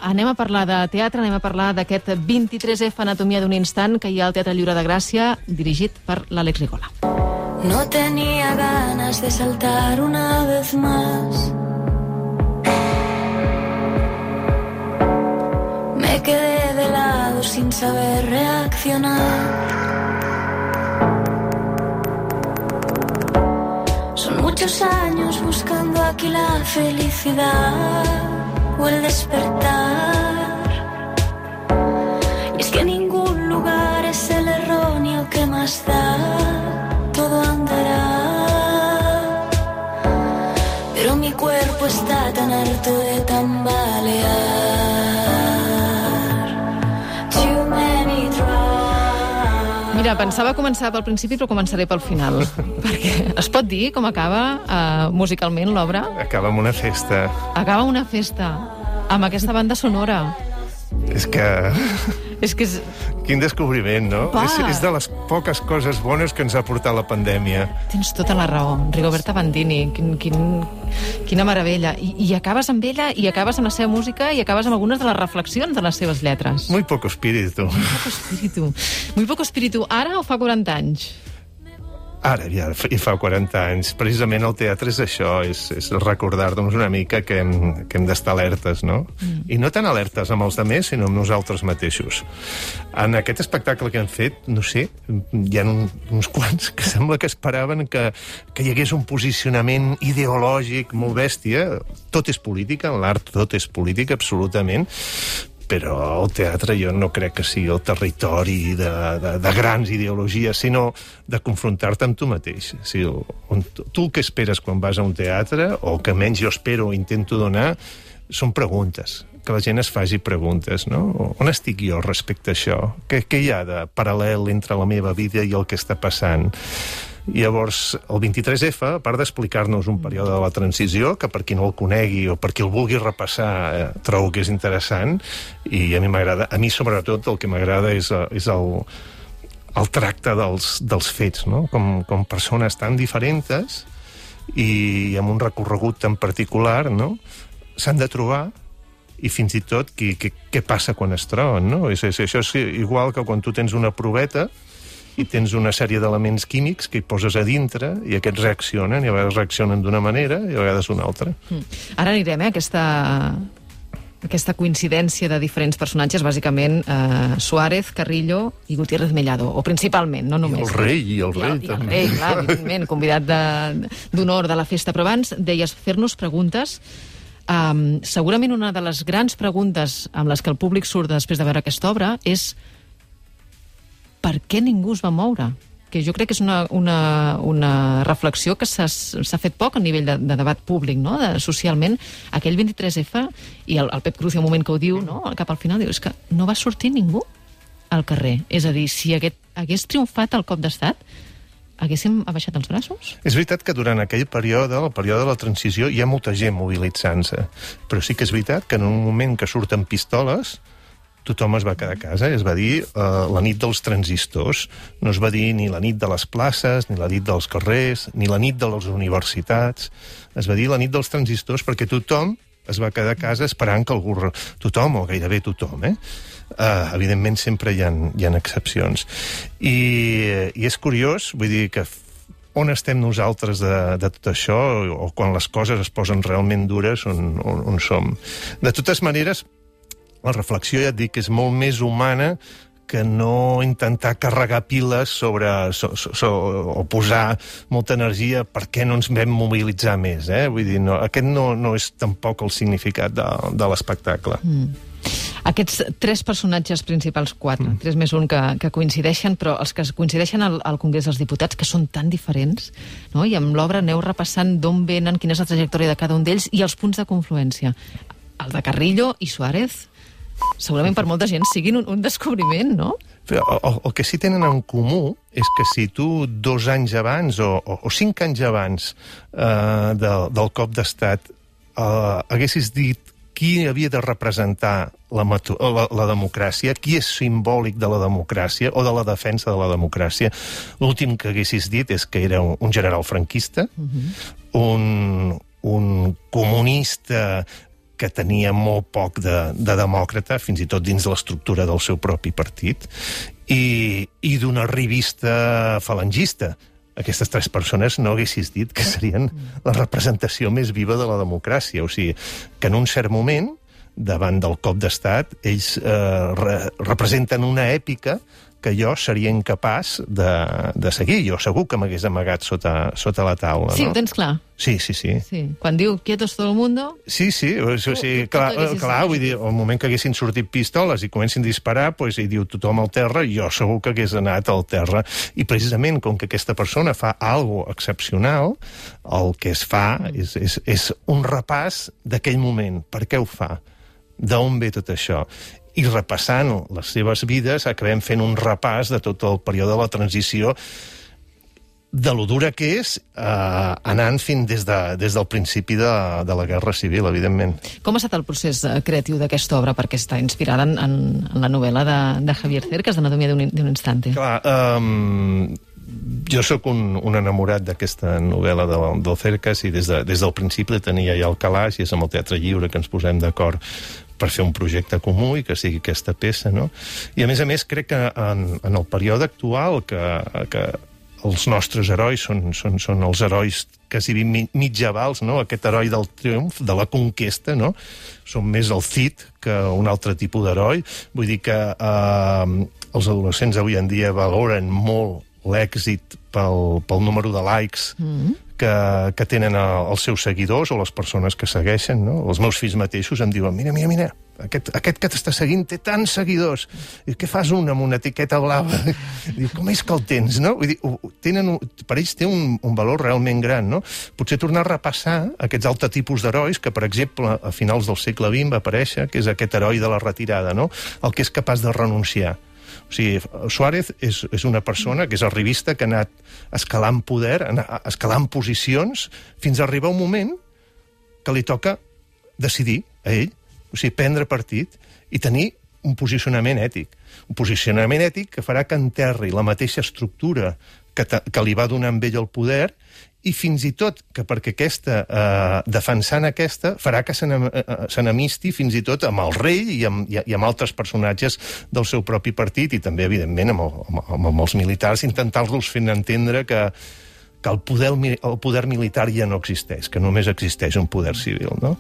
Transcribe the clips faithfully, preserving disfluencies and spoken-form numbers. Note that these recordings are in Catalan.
anem a parlar de teatre, anem a parlar d'aquest vint-i-tres efa Anatomia d'un instant que hi ha al Teatre Lliure de Gràcia, dirigit per l'Àlex Rigola. No tenía ganas de saltar una vez más. Me quedé de lado sin saber reaccionar. Son muchos años buscando aquí la felicidad o el despertar. Y es que ningún lugar es el erróneo que más da. Todo andará, pero mi cuerpo está tan harto de tambalear. Too many tries. Mira, pensava començar pel principi, però començaré pel final. Perquè es pot dir com acaba uh, musicalment l'obra? Acaba amb una festa. Acaba amb una festa, amb aquesta banda sonora. És que... És que és... Quin descobriment, no? Pa. És, és de les poques coses bones que ens ha portat la pandèmia. Tens tota la raó. Rigoberta Bandini, quin, quin, quina meravella. I, I acabes amb ella, i acabes amb la seva música, i acabes amb algunes de les reflexions de les seves lletres. Muy poco espíritu. Muy poco espíritu. Muy poco espíritu. Ara o fa quaranta anys? Ara, ja, i fa quaranta anys. Precisament el teatre és això, és, és recordar-nos una mica que hem, que hem d'estar alertes, no? Mm. I no tan alertes amb els altres, sinó amb nosaltres mateixos. En aquest espectacle que hem fet, no sé, hi ha un, uns quants que sembla que esperaven que, que hi hagués un posicionament ideològic molt bèstia. Tot és política, en l'art tot és política, absolutament, però el teatre jo no crec que sigui el territori de, de, de grans ideologies, sinó de confrontar-te amb tu mateix. O sigui, on, tu el que esperes quan vas a un teatre, o que menys jo espero o intento donar, són preguntes, que la gent es faci preguntes, no? On estic jo respecte a això? Què, què hi ha de paral·lel entre la meva vida i el que està passant? I llavors, el vint-i-tres efa, a part d'explicar-nos un període de la transició, que per qui no el conegui o per qui el vulgui repassar, eh, trobo que és interessant, i a mi m'agrada, a mi sobretot el que m'agrada és, és el, el tracte dels, dels fets, no? Com, com persones tan diferents i amb un recorregut tan particular, no? S'han de trobar, i fins i tot què, què, què passa quan es troben, no? És, és, això és igual que quan tu tens una proveta i tens una sèrie d'elements químics que hi poses a dintre i aquests reaccionen, i a vegades reaccionen d'una manera i a vegades d'una altra. Mm. Ara anirem, eh, a aquesta, aquesta coincidència de diferents personatges, bàsicament eh, Suárez, Carrillo i Gutiérrez Mellado, o principalment, no només. I el rei, i el rei, I el, també. I el rei, clar, evidentment, convidat d'honor de, de la festa. Però abans deies fer-nos preguntes. Um, segurament una de les grans preguntes amb les que el públic surt després de veure aquesta obra és per què ningú es va moure? Que jo crec que és una, una, una reflexió que s'ha fet poc a nivell de, de debat públic, no? De, socialment. Aquell vint-i-tres efa, i el, el Pep Cruz, un moment que ho diu, no? Cap al final, diu, és que no va sortir ningú al carrer. És a dir, si aquest, hagués triomfat el cop d'estat, haguéssim abaixat els braços? És veritat que durant aquell període, el període de la transició, hi ha molta gent mobilitzant-se. Però sí que és veritat que en un moment que surten pistoles, tothom es va quedar a casa, es va dir uh, la nit dels transistors. No es va dir ni la nit de les places, ni la nit dels carrers, ni la nit de les universitats. Es va dir la nit dels transistors perquè tothom es va quedar a casa esperant que algú... Tothom, o gairebé tothom, eh? Uh, evidentment sempre hi ha, hi ha excepcions. I, I és curiós, vull dir que on estem nosaltres de, de tot això, o quan les coses es posen realment dures, on, on, on som. De totes maneres, la reflexió, ja et dic, és molt més humana que no intentar carregar piles sobre, so, so, so, o posar molta energia per què no ens vam mobilitzar més, eh? Vull dir, no, aquest no, no és tampoc el significat de, de l'espectacle. Mm. Aquests tres personatges principals, quatre, mm. tres més un que, que coincideixen, però els que coincideixen al, al Congrés dels Diputats, que són tan diferents, no? I amb l'obra aneu repassant d'on venen, quina és la trajectòria de cada un d'ells i els punts de confluència. El de Carrillo i Suárez, segurament per molta gent siguin un, un descobriment, no? Però el, el que sí tenen en comú és que si tu dos anys abans o, o, o cinc anys abans eh, del, del cop d'estat eh, haguessis dit qui havia de representar la, la, la democràcia, qui és simbòlic de la democràcia o de la defensa de la democràcia, l'últim que haguessis dit és que era un, un general franquista, uh-huh. un, un comunista que tenia molt poc de, de demòcrata, fins i tot dins l'estructura del seu propi partit, i, i d'una revista falangista. Aquestes tres persones no haguessis dit que serien la representació més viva de la democràcia. O sigui, que en un cert moment, davant del cop d'estat, ells eh, re, representen una èpica que jo seria incapaç de, de seguir. Jo segur que m'hagués amagat sota, sota la taula. Sí, no? Ho tens clar. Sí, sí, sí. sí. Quan diu quietos todo el mundo... Sí, sí, o sigui, clar, clar, vull dir, al moment que haguessin sortit pistoles i comencin a disparar, pues, i diu tothom al terra, jo segur que hagués anat al terra. I precisament, com que aquesta persona fa algo excepcional, el que es fa és, és, és un repàs d'aquell moment. Per què ho fa? D'on ve tot això? I repassant les seves vides acabem fent un repàs de tot el període de la transició, de lo dura que és, eh, anant fins des, de, des del principi de, de la Guerra Civil, evidentment. Com ha estat el procés creatiu d'aquesta obra, perquè està inspirada en, en, en la novel·la de, de Javier Cercas, d'Anatomia d'un instante? Clar, um, jo sóc un, un enamorat d'aquesta novel·la del, del Cercas i des, de, des del principi tenia ja el calaix, i és amb el Teatre Lliure que ens posem d'acord per fer un projecte comú i que sigui aquesta peça, no? I a més a més crec que en, en el període actual que, que els nostres herois són, són, són els herois quasi mitjavals, no? Aquest heroi del triomf, de la conquesta, no? Són més el Cid que un altre tipus d'heroi. Vull dir que eh, els adolescents avui en dia valoren molt l'èxit pel, pel número de likes mm-hmm. que, que tenen els seus seguidors o les persones que segueixen, no? Els meus fills mateixos em diuen, mira, mira, mira, aquest, aquest que t'està seguint té tants seguidors. I què fas un amb una etiqueta blava? Diu, com és que el tens, no? Vull dir, tenen, per ells té un, un valor realment gran, no? Potser tornar a repassar aquests altres tipus d'herois que, per exemple, a finals del segle vint va aparèixer, que és aquest heroi de la retirada, no? El que és capaç de renunciar. O sigui, Suárez és, és una persona que és arribista que ha anat escalant poder, escalant posicions, fins a arribar un moment que li toca decidir a ell, o sigui, prendre partit i tenir un posicionament ètic. Un posicionament ètic que farà que enterri la mateixa estructura que, que li va donar amb ell el poder i fins i tot que perquè aquesta, eh, defensant aquesta, farà que s'enemisti fins i tot amb el rei i amb, i amb altres personatges del seu propi partit i també, evidentment, amb, el, amb, amb els militars, intentar-los fent entendre que, que el poder, el poder militar ja no existeix, que només existeix un poder civil, no?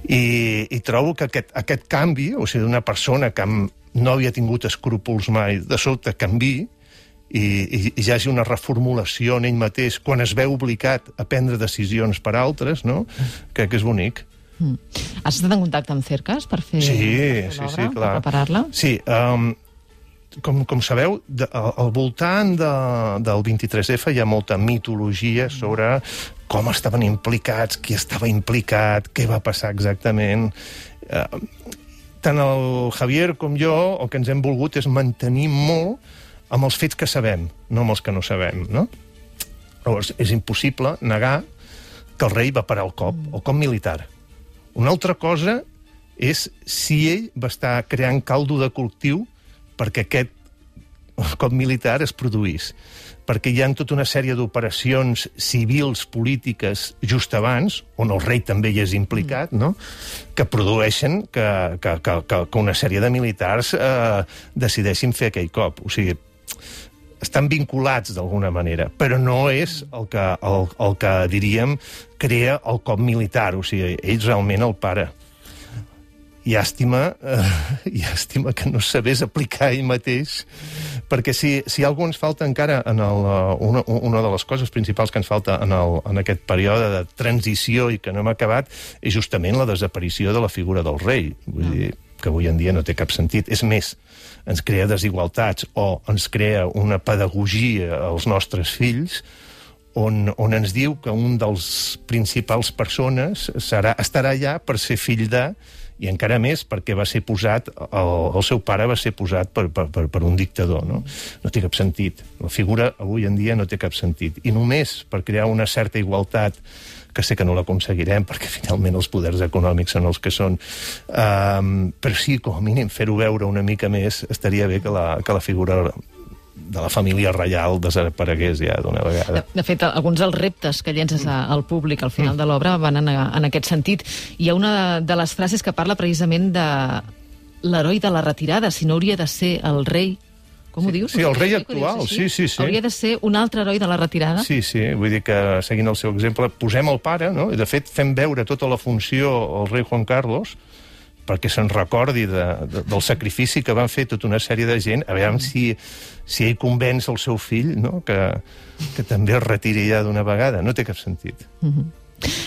I, i trobo que aquest, aquest canvi, o sigui, d'una persona que no havia tingut escrúpols mai, de sobte canvi, i, i, i hi hagi una reformulació en ell mateix quan es veu obligat a prendre decisions per altres, no? Crec que és bonic. Mm. Has estat en contacte amb Cercas per fer, sí, per fer sí, l'obra, sí, clar. per preparar-la? Sí, um, com, com sabeu, de, al voltant de, del vint-i-tres efa hi ha molta mitologia sobre com estaven implicats, qui estava implicat, què va passar exactament. Uh, tant el Javier com jo el que ens hem volgut és mantenir molt amb els fets que sabem, no amb els que no sabem, no? Llavors, és impossible negar que el rei va parar el cop, el cop militar. Una altra cosa és si ell va estar creant caldo de cultiu perquè aquest cop militar es produís. Perquè hi ha tota una sèrie d'operacions civils, polítiques, just abans, on el rei també hi és implicat, no? Que produeixen que, que, que, que una sèrie de militars eh, decideixin fer aquell cop. O sigui, estan vinculats d'alguna manera, però no és el que, el, el que diríem, crea el cop militar. O sigui, ell realment el para. Llàstima, eh, llàstima que no sabés aplicar ell mateix, perquè si, si alguna ens falta encara, en el, una, una de les coses principals que ens falta en, el, en aquest període de transició i que no hem acabat, és justament la desaparició de la figura del rei. Vull dir, que avui en dia no té cap sentit. És més, ens crea desigualtats o ens crea una pedagogia als nostres fills on, on ens diu que un dels principals persones serà, estarà allà per ser fill de, i encara més perquè va ser posat, el, el seu pare va ser posat per, per, per, per un dictador, no? No té cap sentit. La figura avui en dia no té cap sentit. I només per crear una certa igualtat, que sé que no l'aconseguirem perquè finalment els poders econòmics són els que són, um, però sí, com a mínim, fer-ho veure una mica més, estaria bé que la, que la figura de la família reial desaparegués ja d'una vegada. De, de fet, alguns dels reptes que llences al públic al final de l'obra van en, en aquest sentit. Hi ha una de les frases que parla precisament de l'heroi de la retirada, si no hauria de ser el rei. Com ho dius? Sí, el rei actual, sí, sí, sí. Hauria de ser un altre heroi de la retirada? Sí, sí, vull dir que, seguint el seu exemple, posem el pare, no? I de fet fem veure tota la funció al rei Juan Carlos perquè se'n recordi de, de, del sacrifici que van fer tota una sèrie de gent, a veure si, si ell convenç el seu fill, no? que, que també es retiri ja d'una vegada. No té cap sentit. Mm-hmm.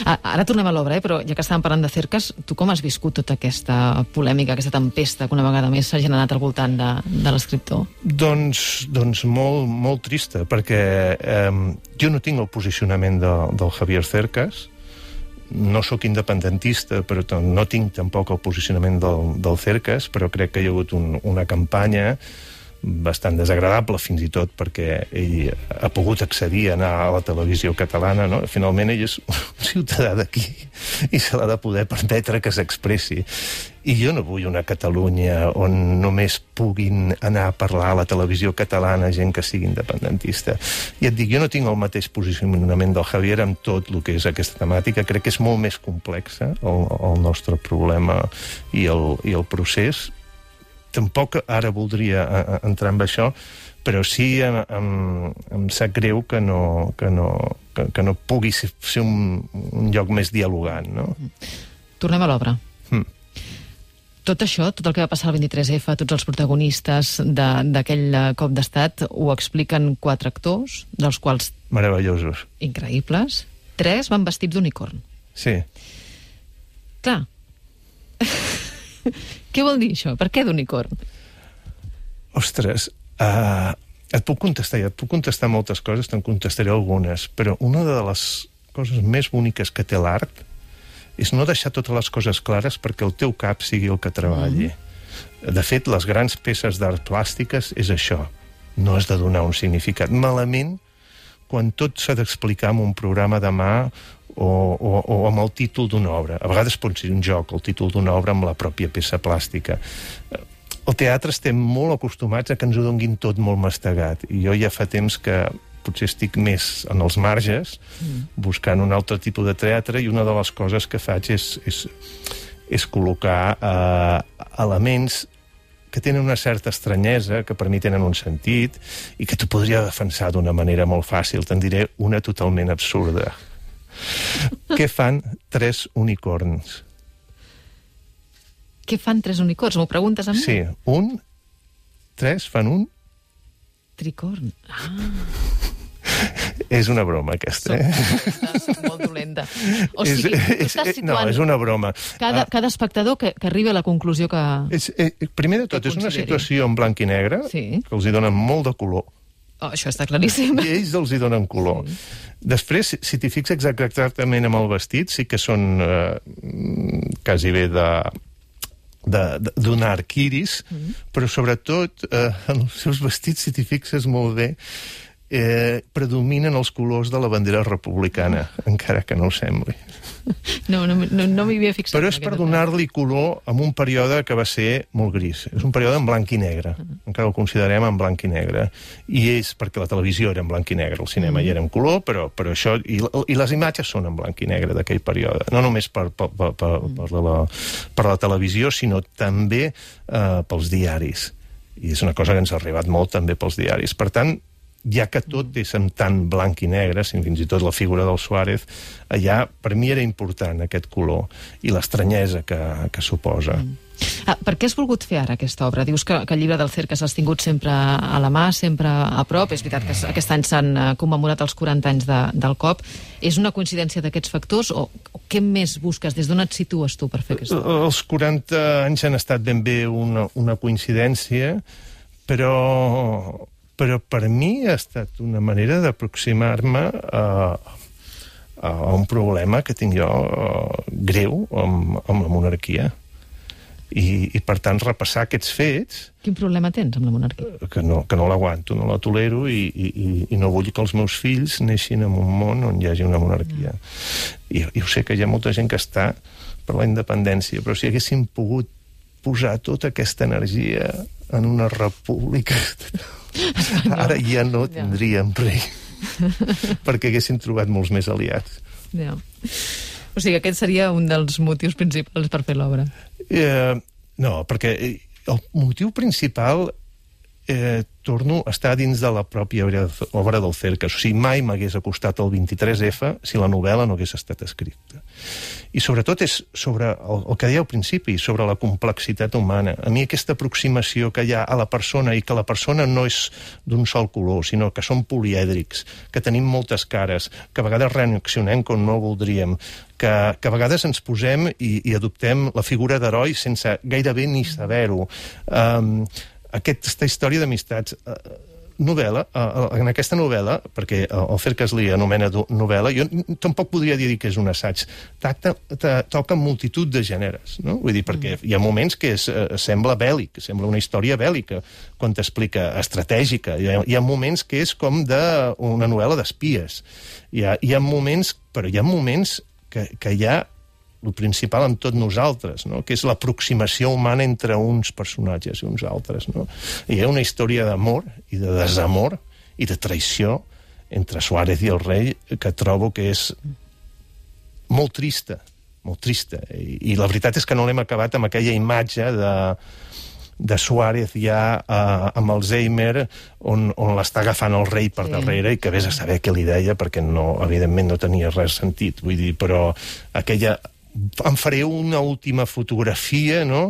Ara tornem a l'obra, eh? Però ja que estàvem parlant de Cercas, tu com has viscut tota aquesta polèmica, aquesta tempesta que una vegada més s'ha generat al voltant de, de l'escriptor? Doncs, doncs molt, molt trista, perquè eh, jo no tinc el posicionament de, del Javier Cercas, no sóc independentista, però no tinc tampoc el posicionament del, del Cercas, però crec que hi ha hagut un, una campanya bastant desagradable, fins i tot perquè ell ha pogut accedir a anar a la televisió catalana, no? Finalment ell és un ciutadà d'aquí i se l'ha de poder permetre que s'expressi. I jo no vull una Catalunya on només puguin anar a parlar a la televisió catalana gent que sigui independentista. I et dic, jo no tinc el mateix posicionament del Javier amb tot el que és aquesta temàtica. Crec que és molt més complexa el, el nostre problema i el, i el procés. Tampoc ara voldria entrar en això, però sí em, em, em sap greu que no, que no, que, que no pugui ser un, un lloc més dialogant, no? Tornem a l'obra. Mm. Tot això, tot el que va passar al vint-i-tres efa, tots els protagonistes d'aquell cop d'estat, ho expliquen quatre actors, dels quals... Meravellosos. Increïbles. Tres van vestits d'unicorn. Sí. Clar. Què vol dir això? Per què d'unicorn? Ostres, uh, et puc contestar, et puc contestar moltes coses, te'n contestaré algunes, però una de les coses més boniques que té l'art és no deixar totes les coses clares perquè el teu cap sigui el que treballi. Mm. De fet, les grans peces d'art plàstiques és això. No has de donar un significat. Malament, quan tot s'ha d'explicar en un programa de mà o, o, o amb el títol d'una obra. A vegades pot ser un joc, el títol d'una obra amb la pròpia peça plàstica. El teatre estem molt acostumats a que ens ho donguin tot molt mastegat. I jo ja fa temps que potser estic més en els marges, mm. buscant un altre tipus de teatre, i una de les coses que faig és, és, és col·locar eh, elements que tenen una certa estranyesa, que per mi tenen un sentit, i que t'ho podria defensar d'una manera molt fàcil. Te'n diré una totalment absurda. Què fan tres unicorns? Què fan tres unicorns? M'ho preguntes a mi? Sí, un, tres, fan un... Tricorn. Ah... És una broma, aquesta, eh? Soc, soc molt dolenta. O sigui, és, tu estàs situant... No, és una broma. Cada, cada espectador que, que arribi a la conclusió que... És, eh, primer de tot, és una situació en blanc i negre, sí. que els hi donen molt de color. Oh, això està claríssim. I ells els hi donen color. Sí. Després, si t'hi fixes exactament amb el vestit, sí que són eh, quasi bé de... d'un arc iris, mm. però sobretot eh, en els seus vestits, si t'hi fixes molt bé, eh, predominen els colors de la bandera republicana, mm. encara que no ho sembli. No, no, no, no m'hi havia fixat. Però és per donar-li color en un període que va ser molt gris. És un període en blanc i negre. Mm. Encara el considerem en blanc i negre. I és perquè la televisió era en blanc i negre, el cinema mm. hi era en color, però, però això... I, I les imatges són en blanc i negre d'aquell període. No només per, per, per, per, per, la, per la televisió, sinó també eh, pels diaris. I és una cosa que ens ha arribat molt també pels diaris. Per tant, ja que tot és en tant blanc i negre, fins i tot la figura del Suárez, allà per mi era important aquest color i l'estranyesa que, que suposa. Mm. Ah, per què has volgut fer ara aquesta obra? Dius que, que el llibre del Cercas l'has tingut sempre a la mà, sempre a prop. És veritat que aquest any s'han commemorat els quaranta anys de, del cop. És una coincidència d'aquests factors o, o què més busques? Des d'on et situes tu per fer aquesta obra? Els quaranta anys han estat ben bé una, una coincidència, però... però per mi ha estat una manera d'aproximar-me a, a un problema que tinc jo greu amb, amb la monarquia. I, i, per tant, repassar aquests fets... Quin problema tens amb la monarquia? Que no, que no l'aguanto, no la tolero i, i, i no vull que els meus fills neixin en un món on hi hagi una monarquia. No. I, I ho sé que hi ha molta gent que està per la independència, però si haguéssim pogut posar tota aquesta energia en una república... Ara ja no tindríem rei, perquè haguessin trobat molts més aliats. Ja. O sigui, aquest seria un dels motius principals per fer l'obra. Eh, no, perquè el motiu principal, eh, torno, està dins de la pròpia obra del Cercas. O sigui, mai m'hagués acostat el vint-i-tres efa si la novel·la no hagués estat escrita. I sobretot és sobre el, el que deia al principi, sobre la complexitat humana. A mi aquesta aproximació que hi ha a la persona, i que la persona no és d'un sol color, sinó que som polièdrics, que tenim moltes cares, que a vegades reaccionem com no voldríem, que, que a vegades ens posem i, i adoptem la figura d'heroi sense gairebé ni saber-ho. Um, aquesta història d'amistats... Uh, novel·la, en aquesta novel·la, perquè el Cercas li anomena novel·la, jo tampoc podria dir que és un assaig, Tacta, toca multitud de gèneres, no? Vull dir, perquè hi ha moments que és, sembla bèl·lic, sembla una història bèl·lica, quan t'explica, estratègica, hi ha, hi ha moments que és com de una novel·la d'espies, hi ha, hi ha moments, però hi ha moments que, que hi ha el principal en tot nosaltres, no? Que és l'aproximació humana entre uns personatges i uns altres. No? I hi ha una història d'amor i de desamor i de traïció entre Suárez i el rei que trobo que és molt trista, molt trista. I, i la veritat és que no l'hem acabat amb aquella imatge de, de Suárez ja uh, amb Alzheimer on, on l'està agafant el rei per sí. darrere i que vés a saber què li deia perquè no, evidentment no tenia res sentit. Vull dir, però aquella... em faré una última fotografia, no?,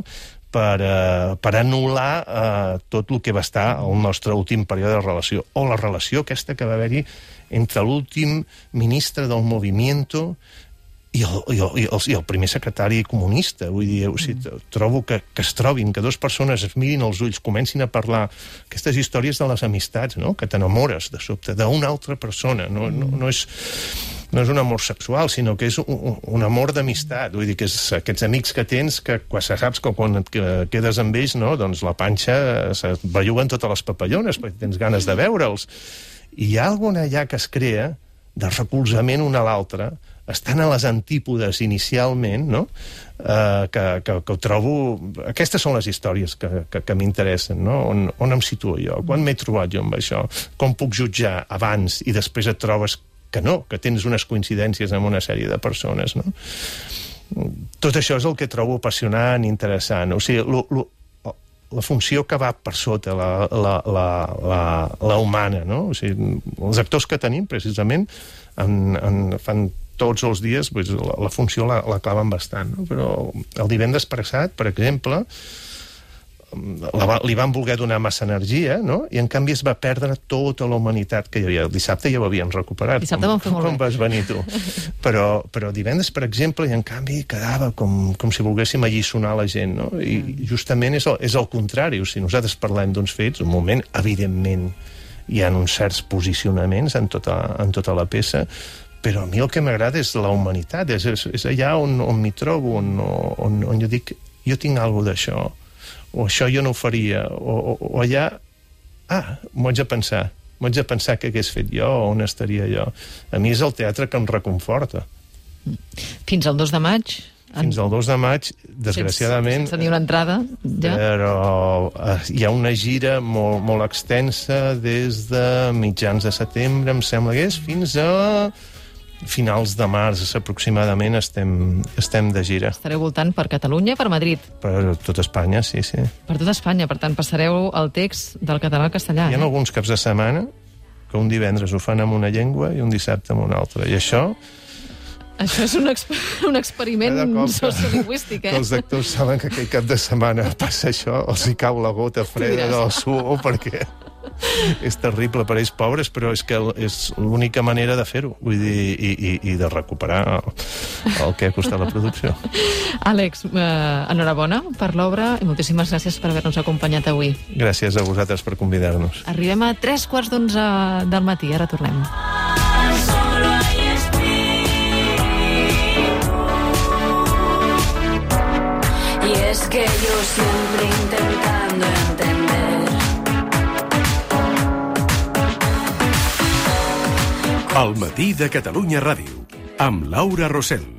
per, uh, per anul·lar uh, tot el que va estar el nostre últim període de relació, o la relació aquesta que va haver-hi entre l'últim ministre del Movimiento i el, i, el, i, el, i el primer secretari comunista. Vull dir, o sigui, trobo que, que es trobin, que dues persones es mirin als ulls, comencin a parlar aquestes històries de les amistats, no?, que t'enamores de sobte d'una altra persona. No, no, no és... no és un amor sexual, sinó que és un, un amor d'amistat. Vull dir que és aquests amics que tens que quan saps que quan et quedes amb ells, no, doncs la panxa es belluguen totes les papallones perquè tens ganes de veure'ls. I hi ha alguna allà que es crea de recolzament una a l'altra, estan a les antípodes inicialment, no? Uh, que, que, que ho trobo... Aquestes són les històries que, que, que m'interessen, no? On, on em situo jo? Quan m'he trobat jo amb això? Com puc jutjar abans i després et trobes que no, que tens unes coincidències amb una sèrie de persones, no? Tot això és el que trobo apassionant, interessant. O sigui, lo, lo, la funció que va per sota, la, la, la, la, la humana, no? O sigui, els actors que tenim, precisament, en, en, fan tots els dies, doncs, la, la funció la, la claven bastant, no? Però el divendres passat, per exemple, La, li van voler donar massa energia, no? I en canvi es va perdre tota la humanitat que hi havia. El dissabte ja ho havien recuperat. Dissabte vam fer molt bé. Com vas venir tu. Però, però divendres, per exemple, i en canvi quedava com, com si volguéssim alliçonar la gent, no? I justament és el, és el contrari. O sigui, nosaltres parlem d'uns fets, un moment, evidentment, hi ha uns certs posicionaments en tota, en tota la peça, però a mi el que m'agrada és la humanitat, és, és, és allà on, on m'hi trobo, on, on, on jo dic, jo tinc alguna d'això, o això jo no ho faria, o, o, o allà, ah, m'ho haig de pensar, m'ho haig de pensar què hagués fet jo, o on estaria jo. A mi és el teatre que em reconforta. Fins al dos de maig? Fins al dos de maig, desgraciadament... Sense tenir una entrada, ja? Però hi ha una gira molt, molt extensa des de mitjans de setembre, em sembla que és, fins a... finals de març, aproximadament, estem, estem de gira. Estareu voltant per Catalunya i per Madrid. Per tot Espanya, sí, sí. Per tot Espanya, per tant, passareu el text del català al castellà. Hi ha eh? alguns caps de setmana que un divendres ho fan amb una llengua i un dissabte amb una altra. I això... Això és un, exper un experiment sociolingüístic, eh? Que els actors saben que aquell cap de setmana passa això, els hi cau la gota freda del suor, perquè... és terrible per ells pobres, però és que és l'única manera de fer-ho, vull dir, i, i, i de recuperar el, el que ha costat la producció. Àlex, eh, enhorabona per l'obra i moltíssimes gràcies per haver-nos acompanyat avui. Gràcies a vosaltres per convidar-nos. Arribem a tres quarts d'onze del matí, ara tornem. Y es que yo siempre intentando entender El matí de Catalunya Ràdio, amb Laura Rosell.